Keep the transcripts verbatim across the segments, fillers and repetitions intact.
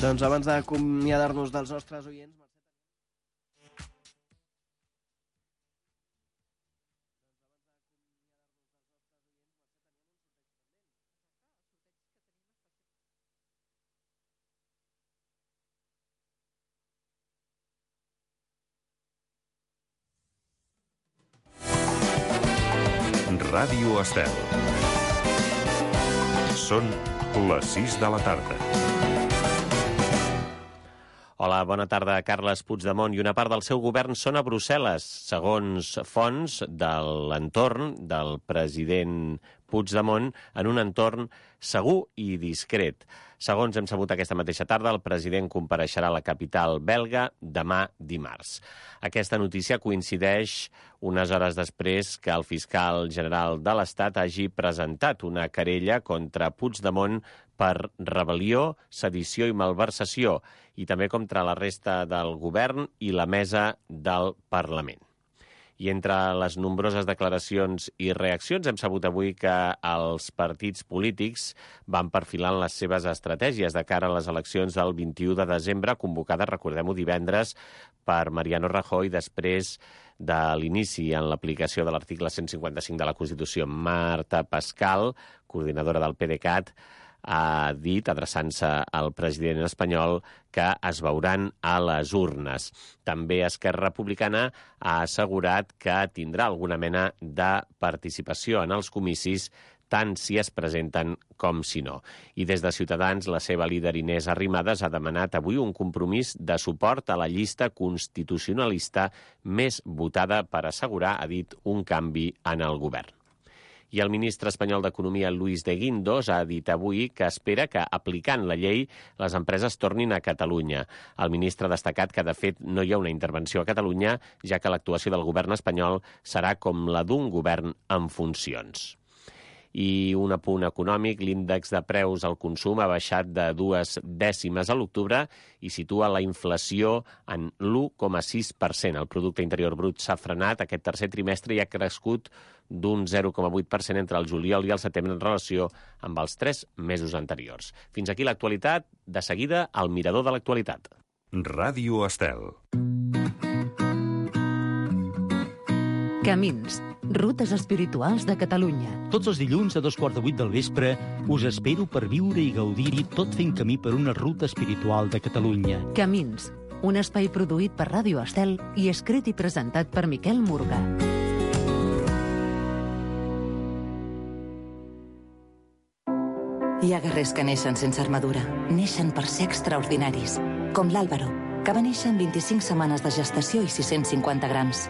Doncs abans d'acomiadar-nos dels nostres oients... Ràdio Estel. Són les sis de la tarda. Hola, bona tarda. Carles Puigdemont i una part del seu govern són a Brussel·les, segons fonts de l'entorn del president Puigdemont, en un entorn segur i discret. Segons hem sabut aquesta mateixa tarda, el president compareixerà a la capital belga demà dimarts. Aquesta notícia coincideix unes hores després que el fiscal general de l'Estat hagi presentat una querella contra Puigdemont per rebel·lió, sedició i malversació, i també contra la resta del govern i la mesa del Parlament. I entre les nombroses declaracions i reaccions hem sabut avui que els partits polítics van perfilant les seves estratègies de cara a les eleccions del vint-i-u de desembre, convocades, recordem-ho, divendres per Mariano Rajoy, després de l'inici en l'aplicació de l'article cent cinquanta-cinc de la Constitució. Marta Pascal, coordinadora del PDeCAT, ha dit, adreçant-se al president espanyol, que es veuran a les urnes. També Esquerra Republicana ha assegurat que tindrà alguna mena de participació en els comicis, tant si es presenten com si no. I des de Ciutadans, la seva líder Inés Arrimadas ha demanat avui un compromís de suport a la llista constitucionalista més votada per assegurar, ha dit, un canvi en el govern. I el ministre espanyol d'Economia, Luis de Guindos, ha dit avui que espera que, aplicant la llei, les empreses tornin a Catalunya. El ministre ha destacat que, de fet, no hi ha una intervenció a Catalunya, ja que l'actuació del govern espanyol serà com la d'un govern en funcions. I un apunt econòmic, l'índex de preus al consum ha baixat de dues dècimes a l'octubre i situa la inflació en l'u coma sis per cent. El producte interior brut s'ha frenat aquest tercer trimestre i ha crescut d'un zero coma vuit per cent entre el juliol i el setembre en relació amb els tres mesos anteriors. Fins aquí l'actualitat. De seguida, el mirador de l'actualitat. Ràdio Estel. Camins, rutes espirituals de Catalunya. Tots els dilluns a dos quarts de vuit del vespre us espero per viure i gaudir tot fent camí per una ruta espiritual de Catalunya. Camins, un espai produït per Ràdio Estel i escrit i presentat per Miquel Murga. Hi ha guerrers que neixen sense armadura, neixen per ser extraordinaris, com l'Àlvaro, que va néixer amb vint-i-cinc setmanes de gestació i sis-cents cinquanta grams.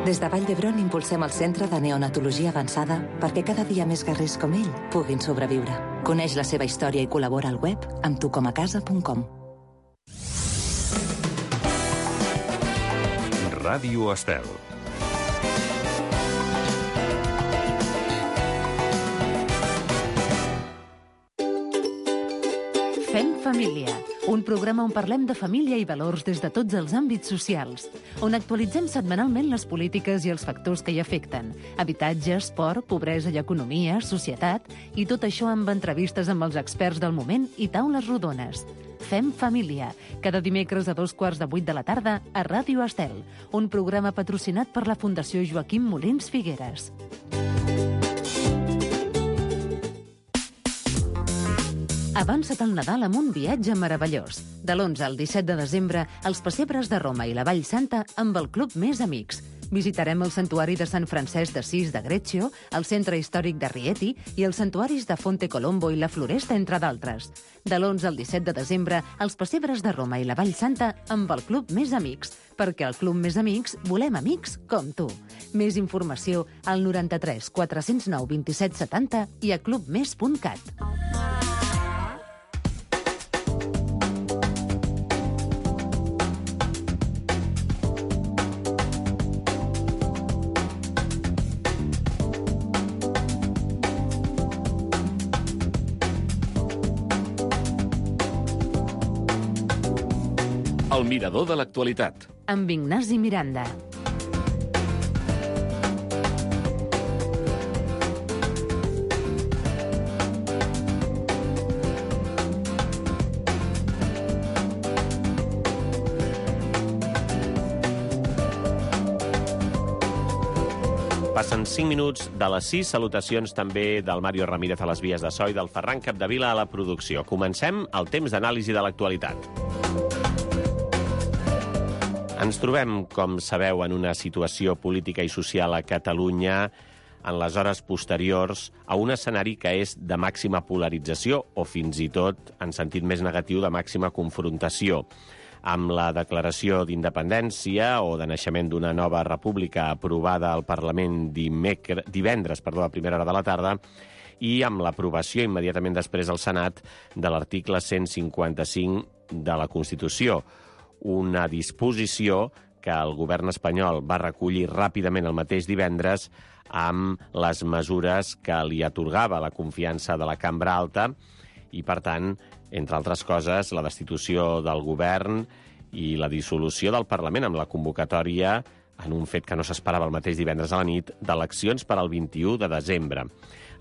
Des de Vall d'Hebron impulsem el Centre de Neonatologia Avançada perquè cada dia més guerrers com ell puguin sobreviure. Coneix la seva història i col·labora al web amb tu com a casa punt com. Ràdio Estel. Fem família, un programa on parlem de família i valors des de tots els àmbits socials, on actualitzem setmanalment les polítiques i els factors que hi afecten, habitatge, esport, pobresa i economia, societat, i tot això amb entrevistes amb els experts del moment i taules rodones. Fem família, cada dimecres a dos quarts de vuit de la tarda a Ràdio Estel, un programa patrocinat per la Fundació Joaquim Molins Figueres. Avança't al Nadal amb un viatge meravellós. De l'onze al disset de desembre, els pessebres de Roma i la Vall Santa amb el Club Més Amics. Visitarem el santuari de Sant Francesc d'Assís de Greccio, el centre històric de Rieti i els santuaris de Fonte Colombo i la Floresta, entre d'altres. De l'onze al disset de desembre, els pessebres de Roma i la Vall Santa amb el Club Més Amics, perquè al Club Més Amics volem amics com tu. Més informació al noranta-tres quatre-cents nou vint-i-set setanta i a clubmes punt cat. El mirador de l'actualitat. Amb Ignasi Miranda. Passen cinc minuts de les sis. Salutacions també del Mario Ramírez a les vies de so i del Ferran Capdevila a la producció. Comencem el temps d'anàlisi de l'actualitat. Ens trobem, com sabeu, en una situació política i social a Catalunya en les hores posteriors a un escenari que és de màxima polarització o fins i tot, en sentit més negatiu, de màxima confrontació. Amb la declaració d'independència o de naixement d'una nova república aprovada al Parlament dimecre, divendres perdó, a primera hora de la tarda i amb l'aprovació immediatament després al Senat de l'article cent cinquanta-cinc de la Constitució, una disposició que el govern espanyol va recollir ràpidament el mateix divendres amb les mesures que li atorgava la confiança de la Cambra Alta i, per tant, entre altres coses, la destitució del govern i la dissolució del Parlament amb la convocatòria, en un fet que no s'esperava el mateix divendres a la nit, d'eleccions per al vint-i-u de desembre.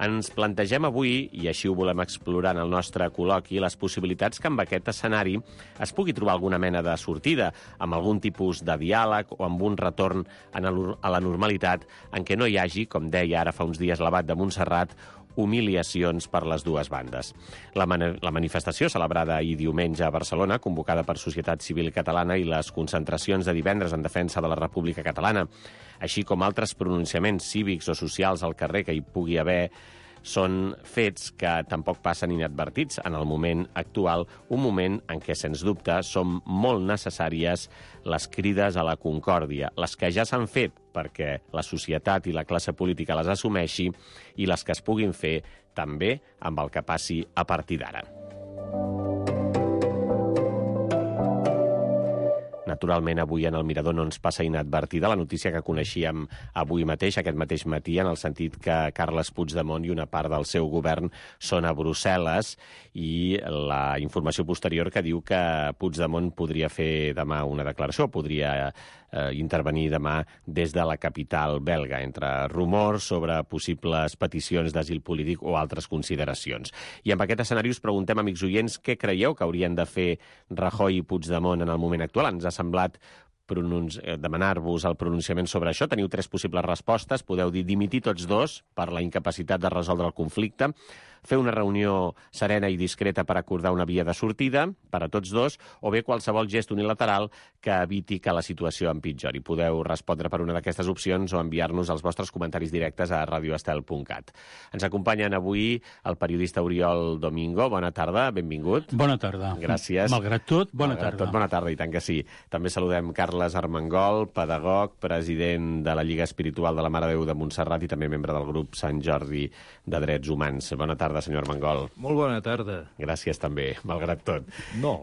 Ens plantegem avui, i així ho volem explorar en el nostre col·loqui, les possibilitats que amb aquest escenari es pugui trobar alguna mena de sortida, amb algun tipus de diàleg o amb un retorn a la normalitat en què no hi hagi, com deia ara fa uns dies l'Abat de Montserrat, humiliacions per les dues bandes. La, man la manifestació celebrada ahir diumenge a Barcelona, convocada per Societat Civil Catalana i les concentracions de divendres en defensa de la República Catalana, així com altres pronunciaments cívics o socials al carrer que hi pugui haver, són fets que tampoc passen inadvertits en el moment actual, un moment en què, sens dubte, són molt necessàries les crides a la concòrdia, les que ja s'han fet perquè la societat i la classe política les assumeixi i les que es puguin fer també amb el que passi a partir d'ara. Naturalment, avui en el Mirador no ens passa inadvertida la notícia que coneixíem avui mateix, aquest mateix matí, en el sentit que Carles Puigdemont i una part del seu govern són a Brussel·les i la informació posterior que diu que Puigdemont podria fer demà una declaració, podria eh, intervenir demà des de la capital belga, entre rumors sobre possibles peticions d'asil polític o altres consideracions. I amb aquest escenari us preguntem, amics oients, què creieu que haurien de fer Rajoy i Puigdemont en el moment actual? Ens ha semblat demanar-vos el pronunciament sobre això. Teniu tres possibles respostes. Podeu dir dimitir tots dos per la incapacitat de resoldre el conflicte, fer una reunió serena i discreta per acordar una via de sortida per a tots dos, o bé qualsevol gest unilateral que eviti que la situació empitjori. Podeu respondre per una d'aquestes opcions o enviar-nos els vostres comentaris directes a radio estel punt cat. Ens acompanyen avui el periodista Oriol Domingo. Bona tarda, benvingut. Bona tarda. Gràcies. Malgrat tot, bona Malgrat tarda. tot, bona tarda, i tant que sí. També saludem Carles Armengol, pedagog, president de la Lliga Espiritual de la Mare de Déu de Montserrat i també membre del grup Sant Jordi de Drets Humans. Bona tarda, senyor Armengol. Molt bona tarda. Gràcies també, malgrat tot. No.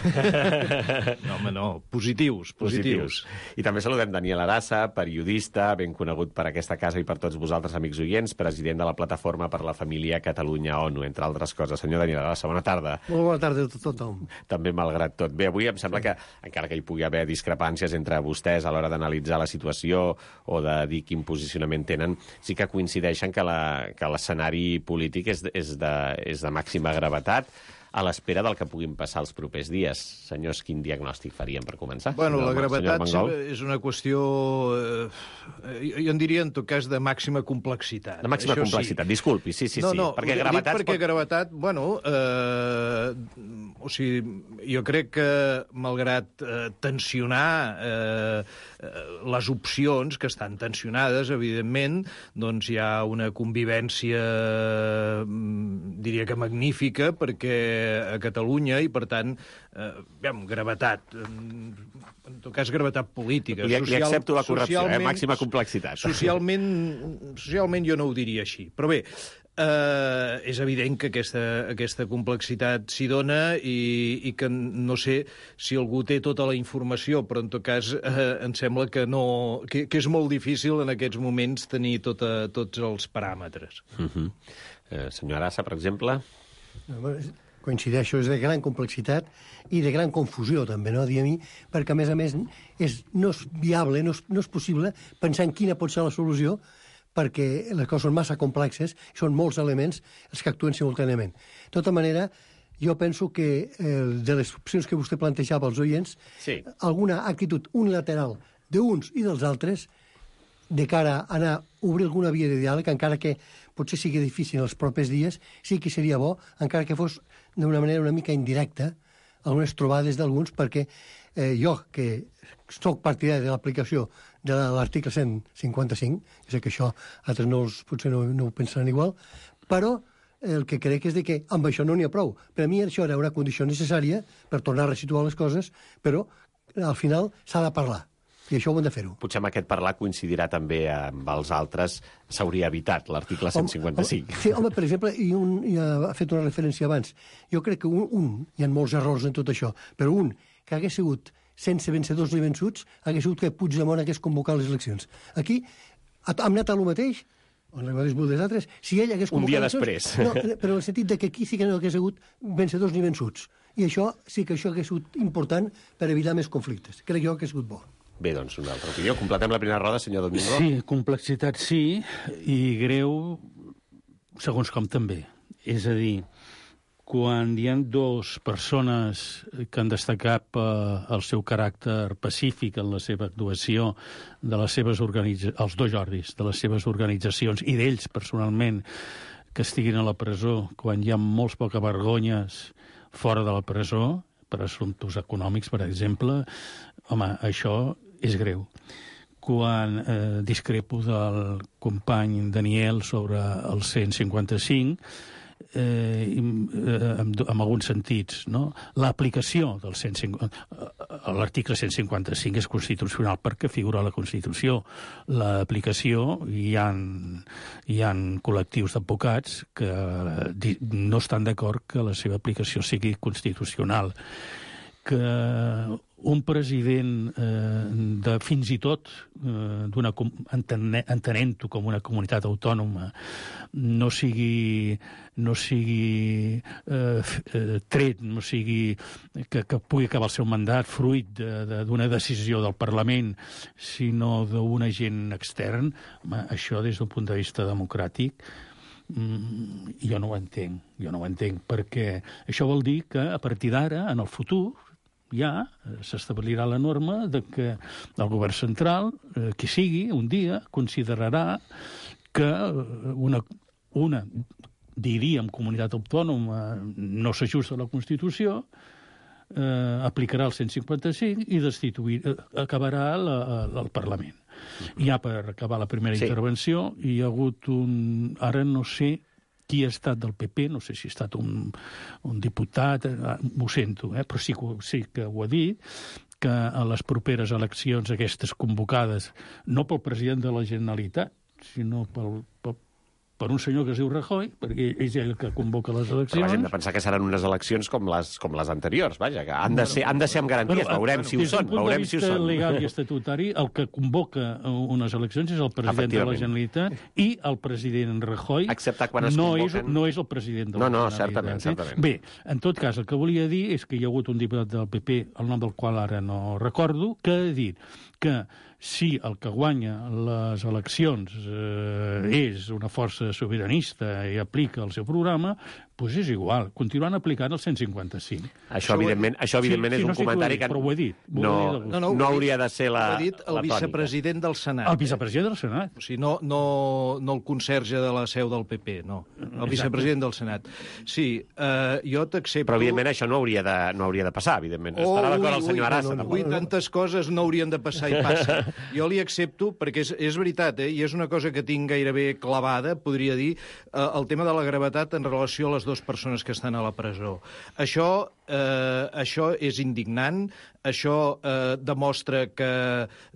No, home, no. Positius, positius. positius. I també saludem Daniel Arassa, periodista, ben conegut per aquesta casa i per tots vosaltres, amics oients, president de la Plataforma per la Família Catalunya-ONU, entre altres coses. Senyor Daniel Arassa, bona tarda. Molt bona tarda a tothom. També malgrat tot. Bé, avui em sembla que, encara que hi pugui haver discrepàncies entre vostès a l'hora d'analitzar la situació o de dir quin posicionament tenen, sí que coincideixen que l'escenari polític és, és, de, és de màxima gravetat a l'espera del que puguin passar els propers dies. Senyors, quin diagnòstic faríem per començar? Bueno, senyor, la gravetat senyor és una qüestió, eh, jo en diria en tot cas de màxima complexitat. De màxima Això complexitat, sí. disculpi, sí, sí, no, sí. No, perquè dic gravetat... perquè pot... gravetat, bueno, eh, o sigui, jo crec que malgrat eh, tensionar eh, les opcions, que estan tensionades, evidentment, doncs hi ha una convivència, diria que magnífica, perquè a Catalunya i, per tant, eh, aviam, gravetat, en tot cas, gravetat política. Li, Social, li accepto la correcció, eh? Màxima complexitat. Socialment, socialment jo no ho diria així. Però bé, eh, és evident que aquesta, aquesta complexitat s'hi dona i, i que no sé si algú té tota la informació, però en tot cas eh, em sembla que, no, que, que és molt difícil en aquests moments tenir tota, tots els paràmetres. Uh-huh. eh, senyor Arassa, per exemple... Coincideixo, és de gran complexitat i de gran confusió, també, no? Dir a mi, perquè, a més a més, és, no és viable, no és, no és possible pensar en quina pot ser la solució, perquè les coses són massa complexes, són molts elements els que actuen simultàniament. De tota manera, jo penso que eh, de les opcions que vostè plantejava als oients, sí. alguna actitud unilateral d'uns i dels altres de cara a anar a obrir alguna via de diàleg, encara que potser sigui difícil els propers dies, sí que seria bo, encara que fos d'una manera una mica indirecta, algunes trobades d'alguns, perquè eh, jo, que soc partidari de l'aplicació de l'article cent cinquanta-cinc, sé que això altres no els, potser no, no ho pensaran igual, però el que crec és de que amb això no n'hi ha prou. Per a mi això era una condició necessària per tornar a resituar les coses, però al final s'ha de parlar. I això ho hem de fer-ho. Potser amb aquest parlar coincidirà també amb els altres, s'hauria evitat l'article cent cinquanta-cinc. Sí, home, per exemple, i un ja ha fet una referència abans, jo crec que un, un, hi ha molts errors en tot això, però un que hagués sigut sense vencedors ni vençuts, hagués sigut que Puigdemont hagués convocat les eleccions. Aquí hem anat a lo mateix, on les mateixes bulles altres, si ell hagués convocat... Un dia després. No, però en el sentit de que aquí sí que no hagués hagut vencedors ni vençuts. I això sí que això hagués sigut important per evitar més conflictes. Crec jo que ha sigut bo. Bé, doncs, una altra opinió. Completem la primera roda, senyor Domingo. Sí, complexitat sí, i greu, segons com també. És a dir, quan hi ha dues persones que han destacat eh, el seu caràcter pacífic en la seva actuació, de les seves organitzacions, els dos Jordis, de les seves organitzacions, i d'ells personalment, que estiguin a la presó, quan hi ha molts poca vergonyes fora de la presó, per assumptes econòmics, per exemple, home, això és greu. Quan eh, discrepo del company Daniel sobre el cent cinquanta-cinc, eh, en, en alguns sentits, no? L'aplicació del cent cinquanta, l'article cent cinquanta-cinc és constitucional perquè figura a la Constitució. L'aplicació, hi ha, hi ha col·lectius d'advocats que no estan d'acord que la seva aplicació sigui constitucional. Que un president eh, de fins i tot eh, d'una entenent-ho com una comunitat autònoma no sigui no sigui eh, tret, no sigui que, que pugui acabar el seu mandat fruit d'una de, de, decisió del Parlament, sinó d'un agent extern, home, això des d'un punt de vista democràtic mm, jo no ho entenc, jo no ho entenc, perquè això vol dir que a partir d'ara, en el futur, ja s'establirà la norma de que el govern central, eh, qui sigui, un dia, considerarà que una, una diríem, comunitat autònoma no s'ajusta a la Constitució, eh, aplicarà el cent cinquanta-cinc i destituir, eh, acabarà la, el Parlament. Ja per acabar la primera sí. intervenció, hi ha hagut un... Ara no sé qui ha estat del P P, no sé si ha estat un, un diputat, m'ho sento, eh, però sí, sí que ho ha dit, que a les properes eleccions aquestes convocades, no pel president de la Generalitat, sinó pel, pel, per un senyor que es diu Rajoy, perquè és ell que convoca les eleccions. Però hem de pensar que seran unes eleccions com les, com les anteriors, vaja, que han de ser, han de ser amb garanties, bueno, veurem si ho són, veurem si ho són. Des d'un punt de vista legal i estatutari, el que convoca unes eleccions és el president de la Generalitat i el president Rajoy excepte quan es no convoquen... És, no és el president de la no, no, Generalitat. certament, certament. Bé, en tot cas, el que volia dir és que hi ha hagut un diputat del P P, el nom del qual ara no recordo, que ha dit que si el que guanya les eleccions eh, és una força sobiranista i aplica el seu programa, doncs és igual, continuant aplicant el cent cinquanta-cinc. Això, evidentment, això, evidentment sí, és sí, un no sé comentari dit, que però ho he dit. No, dit no, no, no hauria de ser la, ho ha dit el la vicepresident del Senat. El vicepresident del Senat. O sigui, no, no, no el conserge de la seu del P P, no. El Exacte. Vicepresident del Senat. Sí, eh, jo t'accepto... Però, evidentment, això no hauria de, no hauria de passar, evidentment. Oh, estarà d'acord el senyor Arassa. No, no, no, tantes coses no haurien de passar i passa. Jo li accepto, perquè és, és veritat, eh, i és una cosa que tinc gairebé clavada, podria dir, eh, el tema de la gravetat en relació a les dues persones que estan a la presó. Això, eh, això és indignant, això eh, demostra que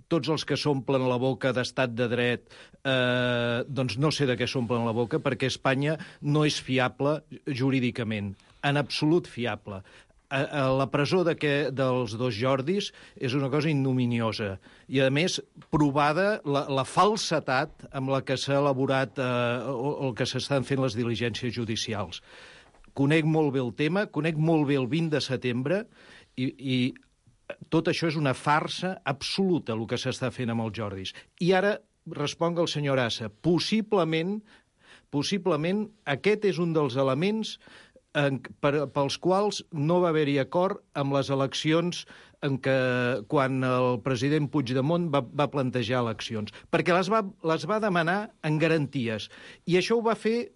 tots els que s'omplen la boca d'estat de dret, eh, doncs no sé de què s'omplen la boca, perquè Espanya no és fiable jurídicament, en absolut fiable. A, a la presó de que, dels dos Jordis és una cosa ignominiosa i, a més, provada la, la falsetat amb la que s'ha elaborat eh, o, o que s'estan fent les diligències judicials. Conec molt bé el tema, conec molt bé el vint de setembre i, i tot això és una farsa absoluta, el que s'està fent amb els Jordis. I ara responc al senyor Assa. Possiblement, possiblement aquest és un dels elements en, per, pels quals no va haver-hi acord amb les eleccions en què, quan el president Puigdemont va, va plantejar eleccions, perquè les va, les va demanar en garanties. I això ho va fer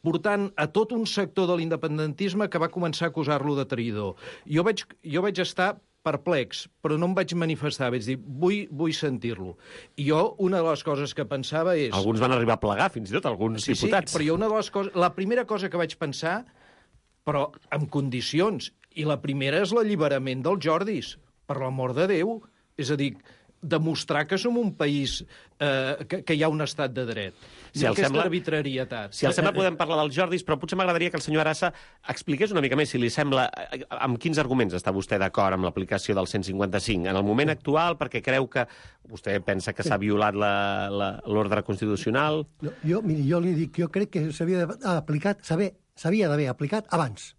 portant a tot un sector de l'independentisme que va començar a acusar-lo de traïdor. Jo vaig, jo vaig estar perplex, però no em vaig manifestar, vaig dir, vull, vull sentir-lo. I jo, una de les coses que pensava és... Alguns van arribar a plegar, fins i tot, alguns sí, diputats. Sí, però jo una de les coses... La primera cosa que vaig pensar, però amb condicions, i la primera és l'alliberament dels Jordis, per l'amor de Déu. És a dir, demostrar que som un país eh, que, que hi ha un estat de dret. Si I aquesta sembla, arbitrarietat. Si el sembla, podem parlar dels Jordis, però potser m'agradaria que el senyor Arassa expliqués una mica més, si li sembla, amb quins arguments està vostè d'acord amb l'aplicació del cent cinquanta-cinc. En el moment actual, perquè creu que vostè pensa que s'ha violat l'ordre constitucional... No, jo, miri, jo li dic, jo crec que s'havia aplicat, s'havia d'haver aplicat abans.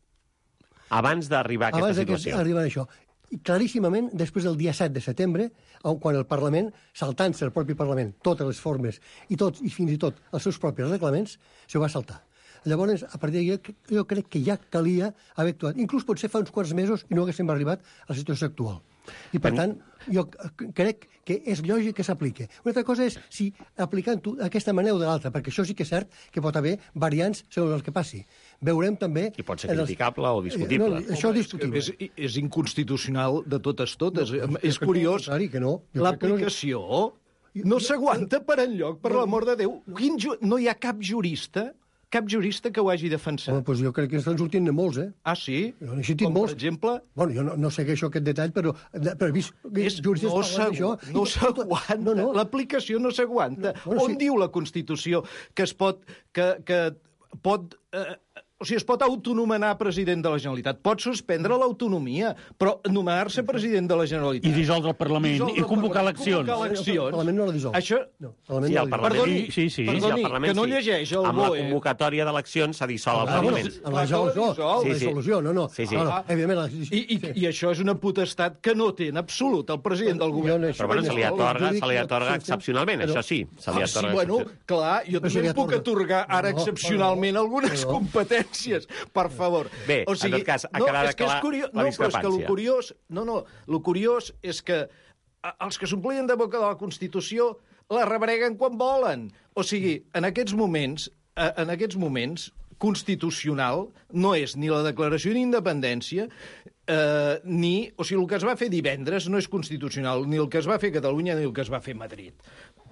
Abans d'arribar a aquesta Abans situació. Abans d'arribar a això. I claríssimament, després del dia set de setembre, quan el Parlament, saltant-se el propi Parlament, totes les formes i, tot, i fins i tot els seus propis reglaments, s'ho va saltar. Llavors, a partir d'aquí, jo crec que ja calia haver actuat. Inclús potser fa uns quants mesos i no haguéssim arribat a la situació actual. I, per tant, jo crec que és lògic que s'apliqui. Una altra cosa és si aplicant-ho d'aquesta manera o de l'altra, perquè això sí que és cert que pot haver variants segons el que passi. Veurem també... I pot ser criticable o discutible. No, això és discutible. És, és inconstitucional de totes totes. No, és curiós. Que no. L'aplicació no s'aguanta per enlloc, per l'amor de Déu. Quin ju... No hi ha cap jurista... cap jurista que ho hagi defensat. Home, doncs jo crec que estan sortint de molts, eh? Ah, sí? Jo n'he sentit Com, molts. per exemple? Bueno, jo no, no segueixo aquest detall, però, però he vist és, juristes no parlant d'això. No s'aguanta. No, no. L'aplicació no s'aguanta. No, bueno, On sí. diu la Constitució que es pot... que, que pot eh, o sigui, es pot autonomenar president de la Generalitat. Pot suspendre l'autonomia, però nomenar-se president de la Generalitat... I dissoldre el Parlament, dissoldre i convocar eleccions. Convocar eleccions. El Parlament no la dissol. Això... No, el sí, el no Parlament... Perdoni, sí, sí, sí. perdoni sí, el Parlament, que no sí. llegeix el Amb B O la E. convocatòria d'eleccions s'ha dissolt el Ah, Parlament. bueno, a la resolució, Sí, a la sí. resolució, no, no. Sí, sí. No, no, evidentment, la... I, i, I això és una potestat que no té en absolut el president del govern. Però bueno, se li atorga, se li atorga excepcionalment, això sí. Se li Ah, sí, atorga bueno, clar, jo Però se també li em puc atorga. atorgar ara No, excepcionalment no, algunes no. competències, per favor. Bé, en tot cas, ha no, quedat és que clar és curiós, la no, però és que lo discrepància. curiós, no, no, lo curiós és que a- els que s'omplien de boca de la Constitució la rebreguen quan volen. O sigui, en aquests moments, eh, en aquests moments, constitucional no és ni la declaració d'independència, eh, ni... O sigui, el que es va fer divendres no és constitucional, ni el que es va fer a Catalunya ni el que es va fer a Madrid.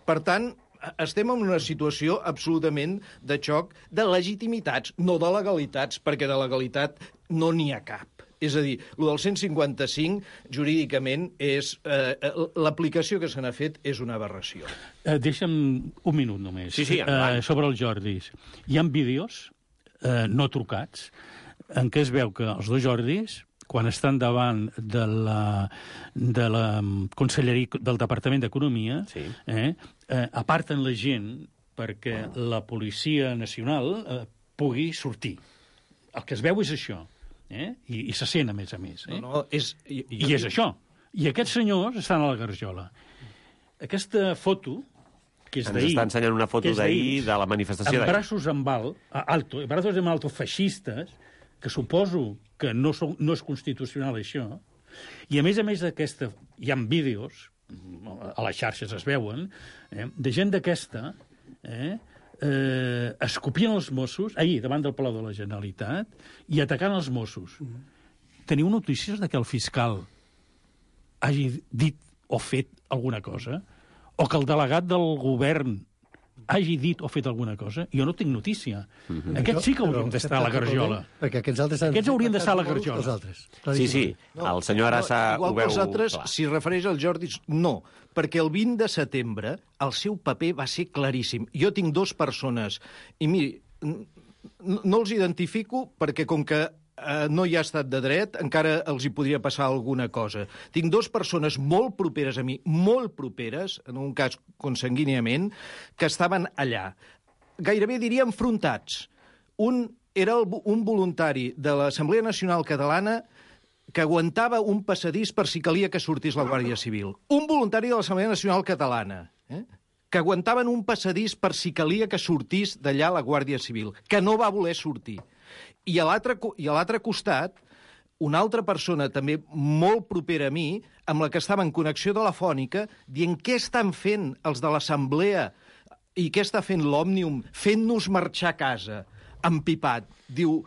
Per tant, estem en una situació absolutament de xoc de legitimitats, no de legalitats, perquè de legalitat no n'hi ha cap. És a dir, el del cent cinquanta-cinc, jurídicament, és eh, l'aplicació que se n'ha fet és una aberració. Eh, deixa'm un minut només. Sí, sí, endavant. eh, sobre els Jordis. Hi ha vídeos eh, no trucats en què es veu que els dos Jordis, quan estan davant de la, de la Conselleria del Departament d'Economia, Sí. eh, eh, aparten la gent perquè la Policia Nacional eh, pugui sortir. El que es veu és això. Eh? I, I se sent, a més a més. Eh? No, no, és... I, I és això. I aquests senyors estan a la Garjola. Aquesta foto, que és Ens d'ahir... està ensenyant una foto que és d'ahir de la manifestació amb d'ahir. braços en alt, alto, braços en alto feixistes, que suposo que no, són, no és constitucional això, i a més a més d'aquesta, hi ha vídeos, a les xarxes es veuen, eh, de gent d'aquesta, eh, eh, escopint els Mossos, ahir, davant del Palau de la Generalitat, i atacant els Mossos. Mm. Teniu notícies de que el fiscal hagi dit o fet alguna cosa? O que el delegat del govern hagi dit o fet alguna cosa? Jo no tinc notícia. Mm-hmm. Aquests sí que haurien d'estar a la Garjola. Perquè aquests altres... Aquests haurien d'estar a la Garjola. Els altres. Sí, sí, el senyor Arassa no, ho igual veu... que els altres, clar. si refereix als Jordis, no, perquè el vint de setembre el seu paper va ser claríssim. Jo tinc dues persones, i miri, no, no els identifico perquè com que eh, no hi ha estat de dret, encara els hi podria passar alguna cosa. Tinc dues persones molt properes a mi, molt properes, en un cas consanguíniament, que estaven allà. Gairebé diria enfrontats. Un era el, un voluntari de l'Assemblea Nacional Catalana que aguantava un passadís per si calia que sortís la Guàrdia Civil. Un voluntari de l'Assemblea Nacional Catalana, eh? que aguantaven un passadís per si calia que sortís d'allà la Guàrdia Civil, que no va voler sortir. I a l'altre i a l'altre costat, una altra persona també molt propera a mi, amb la que estava en connexió telefònica, dient què estan fent els de l'Assemblea i què està fent l'Òmnium, fent-nos marxar a casa, empipat. Diu,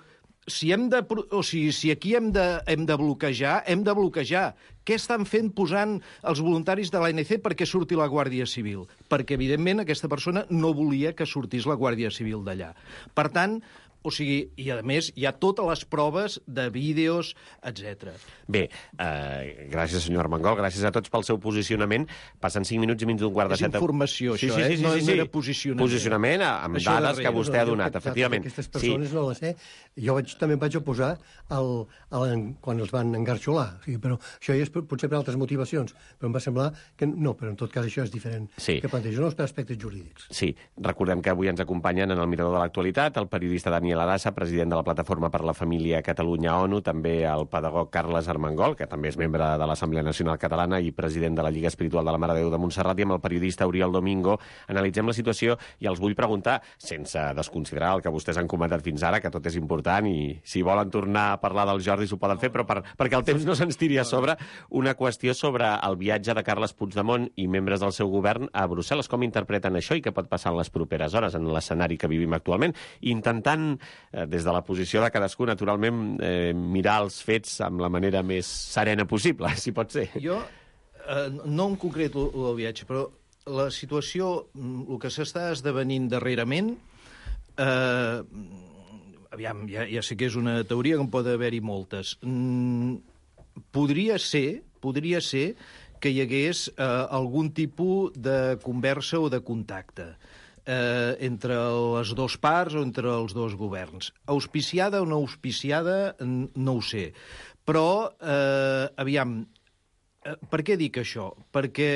si, hem de, o sigui, si aquí hem de, hem de bloquejar, hem de bloquejar. Què estan fent posant els voluntaris de l'A N C perquè surti la Guàrdia Civil? Perquè, evidentment, aquesta persona no volia que sortís la Guàrdia Civil d'allà. Per tant, o sigui, i a més hi ha totes les proves de vídeos, etcètera. Bé, eh, gràcies, senyor Armengol, gràcies a tots pel seu posicionament. Passen cinc minuts i mig d'un quart de És set... informació, sí, això, sí, sí, eh? sí, No sí, sí. era posicionament. Posicionament amb Això dades darrere. que vostè ha No, no, donat, jo, efectivament. Aquestes persones sí. no les sé. Jo vaig, també em vaig oposar al, al, quan els van engarxolar. O sigui, però això ja és potser per altres motivacions. Però em va semblar que no, però en tot cas això és diferent. Sí. Que plantegen els aspectes jurídics. Sí, recordem que avui ens acompanyen en el Mirador de l'Actualitat el periodista Daniel Arassa, president de la Plataforma per la Família Catalunya-ONU, també el pedagog Carles Armengol, que també és membre de l'Assemblea Nacional Catalana i president de la Lliga Espiritual de la Mare de Déu de Montserrat, i amb el periodista Oriol Domingo analitzem la situació i els vull preguntar, sense desconsiderar el que vostès han comentat fins ara, que tot és important i si volen tornar a parlar del Jordi s'ho poden fer, però per, perquè el temps no se'ns tiri a sobre, una qüestió sobre el viatge de Carles Puigdemont i membres del seu govern a Brussel·les. Com interpreten això i què pot passar en les properes hores en l'escenari que vivim actualment, intentant, eh, des de la posició de cadascú, naturalment, eh, mirar els fets amb la manera més serena possible, si pot ser. Jo, eh, no en concret el, el viatge, però la situació, el que s'està esdevenint darrerament, eh, aviam, ja, ja sé que és una teoria que en pot haver-hi moltes. Mm, podria ser, podria ser que hi hagués eh, algun tipus de conversa o de contacte eh, entre les dues parts o entre els dos governs. Auspiciada o no auspiciada, no ho sé. Però, eh, aviam, eh, per què dic això? Perquè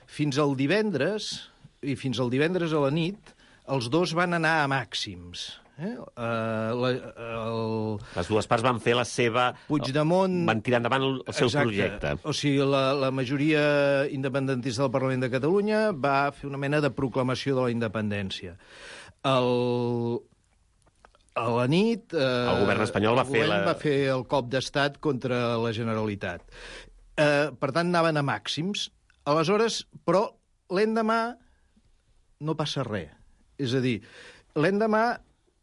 fins al divendres, i fins al divendres a la nit, els dos van anar a màxims. Eh? Uh, la, el... Les dues parts van fer la seva... Puigdemont... Van tirar endavant el, el seu Exacte. projecte. O sigui, la, la majoria independentista del Parlament de Catalunya va fer una mena de proclamació de la independència. El... A la nit... Eh, el govern espanyol va el fer govern la... va fer el cop d'estat contra la Generalitat. Eh, per tant, anaven a màxims. Aleshores, però, l'endemà no passa res. És a dir, l'endemà...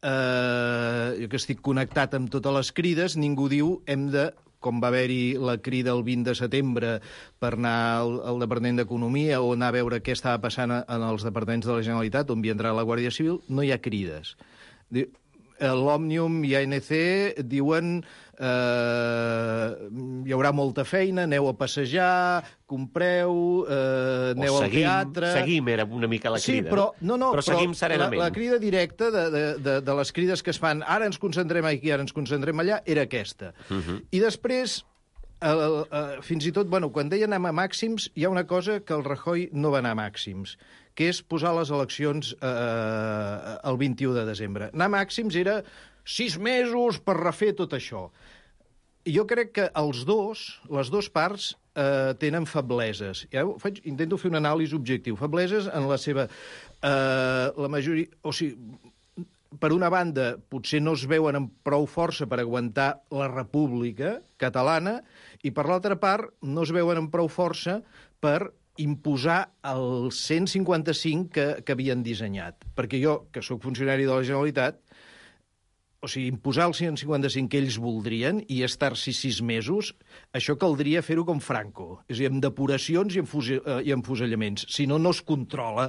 Uh, jo que estic connectat amb totes les crides, ningú diu hem de, com va haver-hi la crida el vint de setembre per anar al, al Departament d'Economia o anar a veure què estava passant en els departaments de la Generalitat on havia entrat la Guàrdia Civil, no hi ha crides. L'Òmnium i A N C diuen eh, hi haurà molta feina, aneu a passejar, compreu, eh, aneu seguim, al teatre... Seguim, era una mica la crida. Sí, però, no, no, però, però seguim serenament. La, la crida directa de, de, de, de les crides que es fan ara ens concentrem aquí, ara ens concentrem allà, era aquesta. Uh -huh. I després, el, el, fins i tot, bueno, quan deien anem a màxims, hi ha una cosa que el Rajoy no va anar a màxims, que és posar les eleccions eh, el vint-i-u de desembre. Anar a màxims era sis mesos per refer tot això. I jo crec que els dos, les dues parts, eh, tenen febleses. Ja ho faig, intento fer una anàlisi objectiu. Febleses en la seva... Eh, la majoria... O sigui, per una banda, potser no es veuen amb prou força per aguantar la república catalana, i per l'altra part, no es veuen amb prou força per imposar el cent cinquanta-cinc que, que havien dissenyat. Perquè jo, que sóc funcionari de la Generalitat, o sigui, imposar el cent cinquanta-cinc que ells voldrien i estar-s'hi sis mesos, això caldria fer-ho com Franco, és a dir, amb depuracions i amb, fusi, eh, i amb fusellaments. Si no, no es controla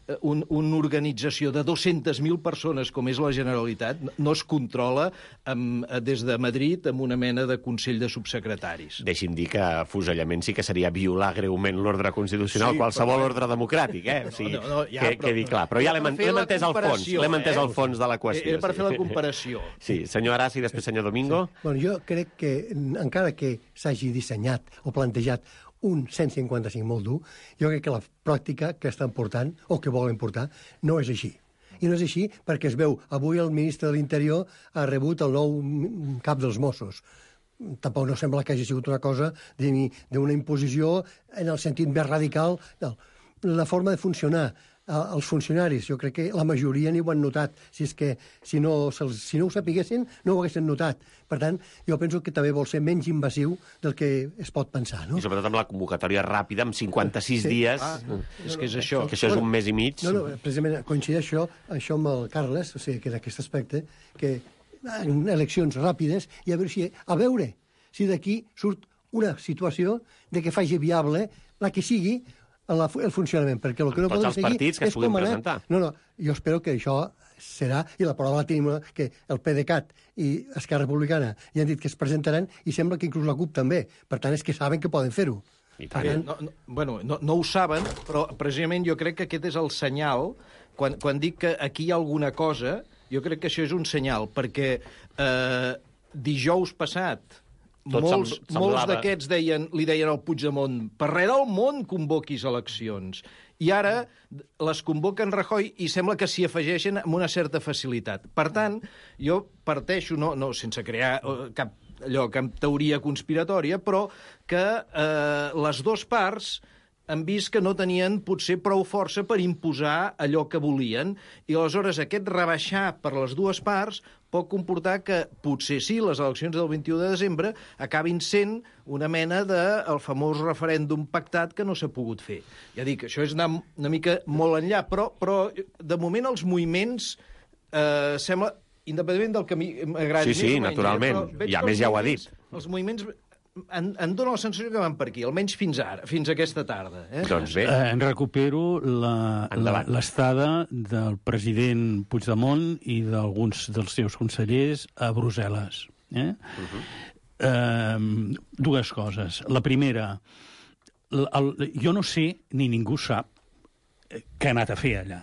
eh, un, una organització de dues-centes mil persones com és la Generalitat, no es controla amb, des de Madrid amb una mena de Consell de Subsecretaris. Deixi'm dir que fusellament sí que seria violar greument l'ordre constitucional, sí, qualsevol però... ordre democràtic, eh? O sigui, no, no, no, ja, que però, quedi clar. Però ja l'hem entès al fons, l'hem entès al fons de la qüestió. Era per sí. fer la comparació. Sí, senyor Arasi i després senyor Domingo. Sí. Bueno, jo crec que, encara que s'hagi dissenyat o plantejat un cent cinquanta-cinc molt dur, jo crec que la pràctica que estan portant, o que volen portar, no és així. I no és així perquè es veu, avui el ministre de l'Interior ha rebut el nou cap dels Mossos. Tampoc no sembla que hagi sigut una cosa d'una imposició en el sentit més radical. No. La forma de funcionar els funcionaris, jo crec que la majoria ni ho han notat. Si és que si no, si no ho sapiguessin, no ho haguessin notat. Per tant, jo penso que també vol ser menys invasiu del que es pot pensar, no? I sobretot amb la convocatòria ràpida, amb cinquanta-sis sí. dies. Ah, és que és això. Que això és un mes i mig. No, no, precisament coincideix això, això amb el Carles, o sigui, que d'aquest aspecte, que en eleccions ràpides, i a veure si, a veure si d'aquí surt una situació de que faci viable la que sigui La, el funcionament, perquè el que no tots podem els seguir partits que es és puguin com anar... presentar. No, no, jo espero que això serà, i la prova la tenim, que el PDeCAT i Esquerra Republicana ja han dit que es presentaran, i sembla que inclús la CUP també. Per tant, és que saben que poden fer-ho. I tant. Bé, no, no, bueno, no, no ho saben, però precisament jo crec que aquest és el senyal. Quan, quan dic que aquí hi ha alguna cosa, jo crec que això és un senyal, perquè eh, dijous passat Tot molts, sem- molts semblava- d'aquests deien, li deien al Puigdemont, per res del món convoquis eleccions. I ara les convoquen Rajoy i sembla que s'hi afegeixen amb una certa facilitat. Per tant, jo parteixo, no, no sense crear eh, cap, allò, cap teoria conspiratòria, però que eh, les dues parts han vist que no tenien potser prou força per imposar allò que volien, i aleshores aquest rebaixar per les dues parts pot comportar que potser sí, les eleccions del vint-i-u de desembre acabin sent una mena del famós referèndum pactat que no s'ha pogut fer. Ja dic, això és anar una mica molt enllà, però, però de moment els moviments eh, sembla, independentment del que m'agradi Sí, sí, més o menys, naturalment. eh, però veig I a que més els ja ho ha moviments- dit. Els moviments em, em dóna la sensació que van per aquí, almenys fins ara, fins aquesta tarda. Eh? Doncs bé, Eh, en recupero la- la- Endavant. l'estada del president Puigdemont i d'alguns dels seus consellers a Brussel·les. Eh? Uh-huh. eh, dues coses. La primera, el, el, jo no sé, ni ningú sap, eh, què ha anat a fer allà.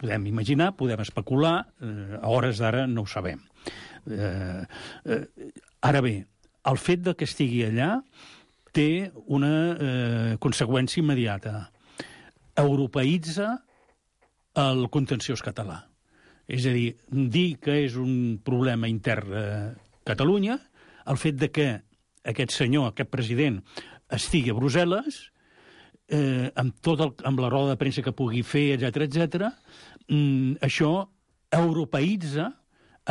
Podem imaginar, podem especular, eh, a hores d'ara no ho sabem. Eh, eh, ara bé, el fet de que estigui allà té una eh, conseqüència immediata. Europeïtza el contenciós català. És a dir, dir que és un problema intern a Catalunya, el fet de que aquest senyor, aquest president, estigui a Brussel·les, eh, amb, tot el, amb la roda de premsa que pugui fer, etcètera, etcètera, mm, això europeïtza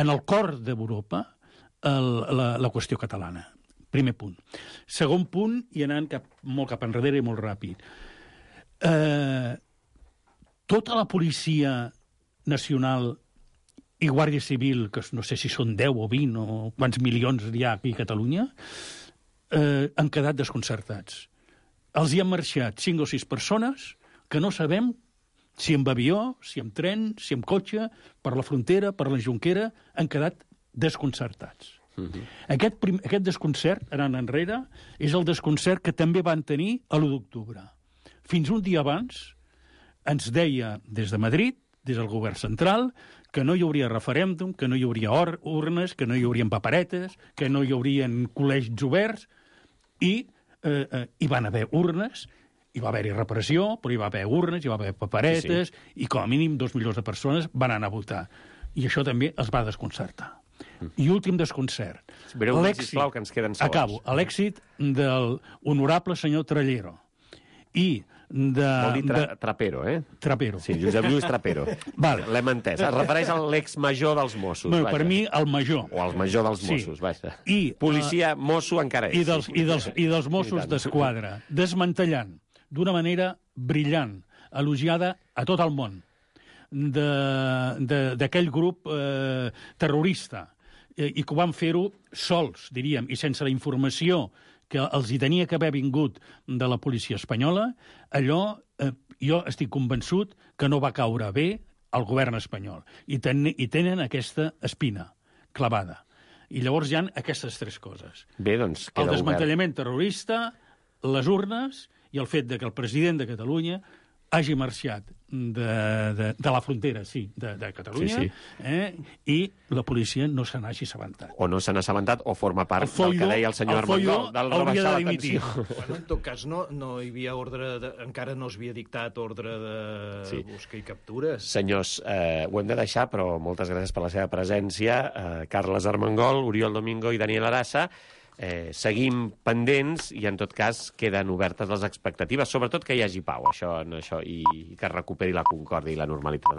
en el cor d'Europa el, la, la qüestió catalana. Primer punt. Segon punt, i anant cap, molt cap enrere i molt ràpid. Eh, tota la policia nacional i Guàrdia Civil, que no sé si són deu o vint o quants milions hi ha aquí a Catalunya, eh, han quedat desconcertats. Els hi han marxat cinc o sis persones que no sabem si amb avió, si amb tren, si amb cotxe, per la frontera, per la Jonquera, han quedat desconcertats. Uh-huh. Aquest, prim, aquest desconcert, anant enrere, és el desconcert que també van tenir a l'u d'octubre. Fins un dia abans ens deia des de Madrid, des del govern central, que no hi hauria referèndum, que no hi hauria or urnes, que no hi haurien paperetes, que no hi haurien col·legis oberts, i eh, eh, hi van haver urnes, hi va haver-hi repressió, però hi va haver urnes, hi va haver paperetes, sí, sí. I com a mínim dos milions de persones van anar a votar. I això també els va desconcertar. I últim desconcert. Breu, sisplau, que ens queden segons. Acabo. L'èxit del honorable senyor Trallero i de... Vol dir tra de, Trapero, eh? Trapero. Sí, Josep Lluís Trapero. Vale. L'hem entès. Es refereix a l'ex-major dels Mossos. Bueno, vaja. per mi, el major. O al major dels Sí. Mossos, vaja. I, Policia, uh, mosso encara és. I dels, i dels, i dels Mossos I tant. d'Esquadra, desmantellant d'una manera brillant, elogiada a tot el món, d'aquell grup eh, terrorista, eh, i que ho van fer-ho sols, diríem, i sense la informació que els hi tenia que haver vingut de la policia espanyola, allò, eh, jo estic convençut que no va caure bé al govern espanyol. I, ten, i tenen aquesta espina clavada. I llavors hi ha aquestes tres coses. Bé, doncs, queda el desmantellament obert. terrorista, les urnes i el fet de que el president de Catalunya hagi marxat de, de, de la frontera, sí, de, de Catalunya, sí, sí. Eh, i la policia no se n'hagi assabentat. O no se n'ha assabentat o forma part El Folló- del que deia el senyor el Folló Armengol, del hauria rebaixar de la dimitir. tensió. Bueno, en tot cas, no, no hi havia ordre, de, encara no s'havia dictat ordre de Sí. busca i captures. Senyors, eh, ho hem de deixar, però moltes gràcies per la seva presència. Eh, Carles Armengol, Oriol Domingo i Daniel Arassa. eh, seguim pendents i, en tot cas, queden obertes les expectatives, sobretot que hi hagi pau, això, no, això i, i que es recuperi la concòrdia i la normalitat.